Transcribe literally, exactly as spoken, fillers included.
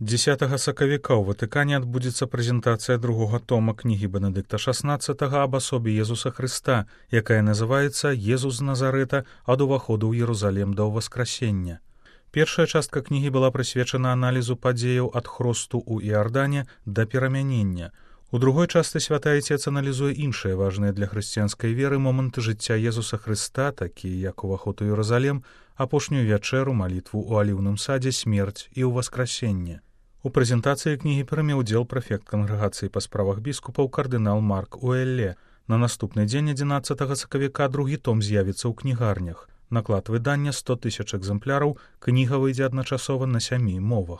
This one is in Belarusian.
дзесятага сакавіка ў Ватыкане адбудзецца прэзентацыя другога тома кнігі Бенедыкта шаснаццатага аб асобе Езуса Хрыста, якая называецца «Езус з Назарэта ад уваходу ў Єрусалем да ўваскрасення». Першая частка кнігі была прысвечана аналізу падзеяў ад хросту ў Іардане да перамянення. У другой частцы святы Айцец аналізуе іншыя важныя для хрысціянскай веры моманты жыцця Езуса Хрыста, такія як уваход у Єрусалем, апошнюю вячэру, малітву ў аліўным садзе, смерць і ўваскрасенне. У прэзентацыі кнігі прыме ўдзел прэфект кангрэгацыі па справах біскупаў кардынал Марк Уэлле. На наступны дзень адзінаццатага сакавіка другі том з'явіцца ў кнігарнях. Наклад выдання сто тысяч экзэмпляраў, кніга выйдзе адначасова на сямі мовах.